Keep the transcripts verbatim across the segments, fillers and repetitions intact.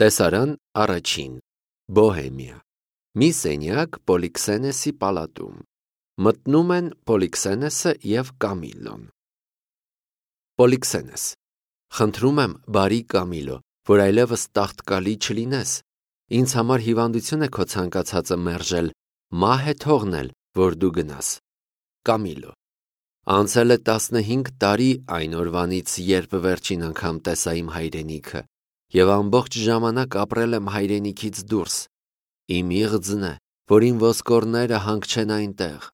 Տեսարան առաջին, Բոհեմիա, մի սենյակ Պոլիքսենեսի պալատում, մտնում են Պոլիքսենեսը և Կամիլոն։ Պոլիքսենես. խնդրում եմ բարի Կամիլո, որ այլևս տաղտկալի չլինես, ինձ համար հիվանդություն է քո ցանկացածը մերժել, մահ է թողնել, որ դու գնաս։ Կամիլո. անցել է տասնհինգ տարի այն օրվանից, երբ վերջին անգամ տեսա իմ հայրենիքը, և ամբողջ ժամանակ ապրել եմ հայրենիքից դուրս, իմ իղձն է, որ իմ ոսկորները հանգչեն այնտեղ։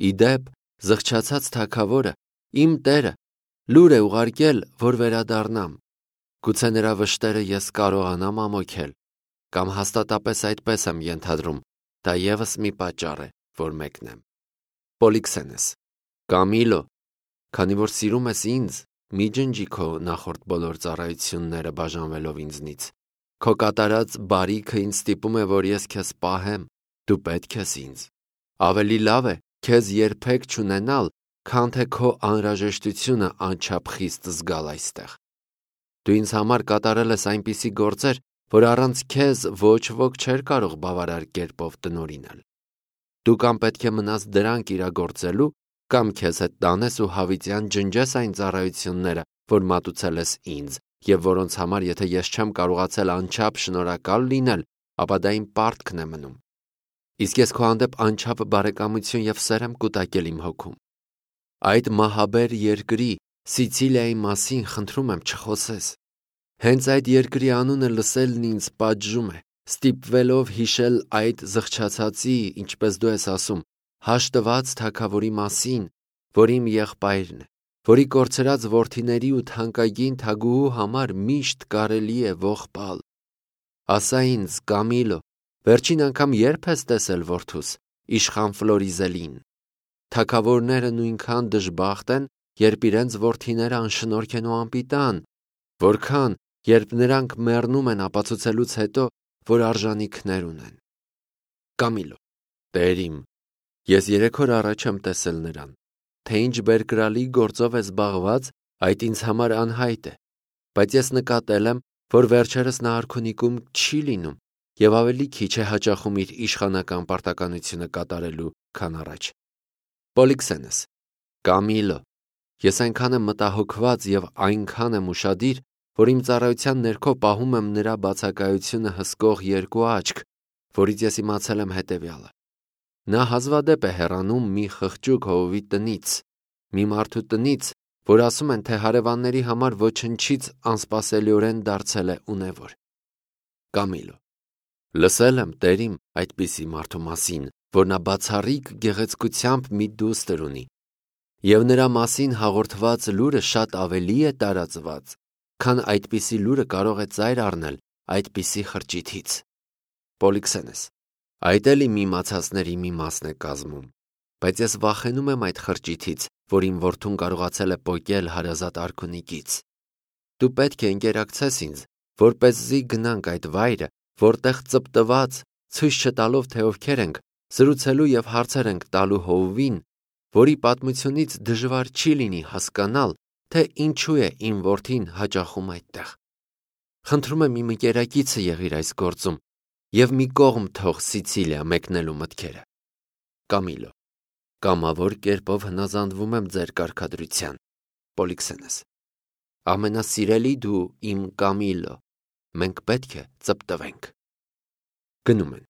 Ի դեպ, զղջացած թագավորը, իմ տերը, լուր է ուղարկել, որ վերադառնամ, գուցե նրա վշտերը ես կարողանամ ամոքել, կամ հաստատապես այդպես եմ ենթադրում, դա ևս մի պատճառ է, որ մեկնեմ։ Պոլիքսենես. Կամիլո, քանի որ սիրում ես ինձ, մի ջնջի քո նախորդ բոլոր ծառայությունները բաժանվելով ինձնից, քո կատարած բարիքը ինձ ստիպում է, որ ես քեզ պահեմ, դու պետք ես ինձ, ավելի լավ է քեզ երբեք չունենալ, քան թե քո անհրաժեշտությունը անչափ խիստ զգալ այստեղ։ Դու ինձ համար կատարել ես այնպիսի գործեր, որ առանց քեզ ոչ ոք չէր կարող բավարար կերպով տնօրինել։ Դու կամ պետք է մնաս դրանք իրագործելու, կամ քեզ հետ տանես ու հավիտյան ջնջես այն ծառայությունները, որ մատուցել ես ինձ, և որոնց համար եթե ես չեմ կարողացել անչափ շնորհակալ լինել, ապա դա իմ պարտքն է մնում։ Իսկ ես քո հանդեպ անչափ բարեկամություն և սեր եմ կուտակել իմ հոգում։ Այդ մահաբեր երկրի, Սիցիլիայի մասին խնդրում եմ չխոսես։ Հենց այդ երկրի անունը լսելն ինձ պատժում է, ստիպվելով հիշել այդ զղջացածի, ինչպես դու ես ասում, հաշտված թագավորի մասին, որ իմ եղբայրն է, որի կորցրած որդիների ու թանկագին թագուհու համար միշտ կարելի է ողբալ։ Ասա ինձ, Կամիլո, վերջին անգամ երբ ես տեսել որդուս, իշխան Ֆլորիզելին։ Թագավորները նույնքան դժբախտ են, երբ իրենց որդիները անշնորհք են ու անպիտան, որքան, երբ նրանք մեռնում են ապացուցելուց հետո, որ արժանիքներ ունեն։ Կամիլո. Տեր իմ, ես երեք օր առաջ եմ տեսել նրան, թե ինչ բերկրալի գործով է զբաղված, այդ ինձ համար անհայտ է, բայց ես նկատել եմ, որ վերջերս նա արքունիքում չի լինում և ավելի քիչ է հաճախում իր իշխանական պարտականությունը կատարելու, քան առաջ։ Պոլիքսենես. Կամիլո, ես այնքան եմ մտահոգված և այնքան եմ ուշադիր, որ իմ ծառայության ներքո պահում եմ նրա բացակայությունը հսկող երկու աչք, որից ես իմացել եմ հետևյալը. նա հազվադեպ է հեռանում մի խղճուկ հովվի տնից, մի մարդու տնից, որ ասում են, թե հարևանների համար ոչնչից անսպասելիորեն դարձել է ունևոր։ Կամիլո. լսել եմ, տեր իմ, այդպիսի մարդու մասին, որ նա բացառիկ գեղեցկությամբ մի դուստր ունի, և նրա մասին հաղորդված լուրը շատ ավելի է տարածված, քան այդպիսի լուրը կարող է ծայր առնել այդպիսի խրճիթից։ Պոլիքսենես. այդ էլ իմ իմացածների մի մասն է կազմում, բայց ես վախենում եմ այդ խրճիթից, որ իմ որդուն կարողացել է պոկել հարազատ արքունիքից։ Դու պետք է ընկերակցես ինձ, որպեսզի գնանք այդ վայրը, որտեղ ծպտված, ցույց չտալով, թե ովքեր ենք, զրուցելու և հարցեր ենք տալու հովվին, որի պատմությունից դժվար չի լինի հասկանալ, թե ինչու է իմ որդին հաճախում այդտեղ։ Խնդրում եմ իմ ընկերակիցը եղիր այս գործում և մի կողմ թող Սիցիլիա մեկնելու մտքերը։ Կամիլո. կամավոր կերպով հնազանդվում եմ ձեր կարգադրության։ Պոլիքսենես. ամենասիրելի դու իմ Կամիլո, մենք պետք է ծպտվենք։ Գնում են։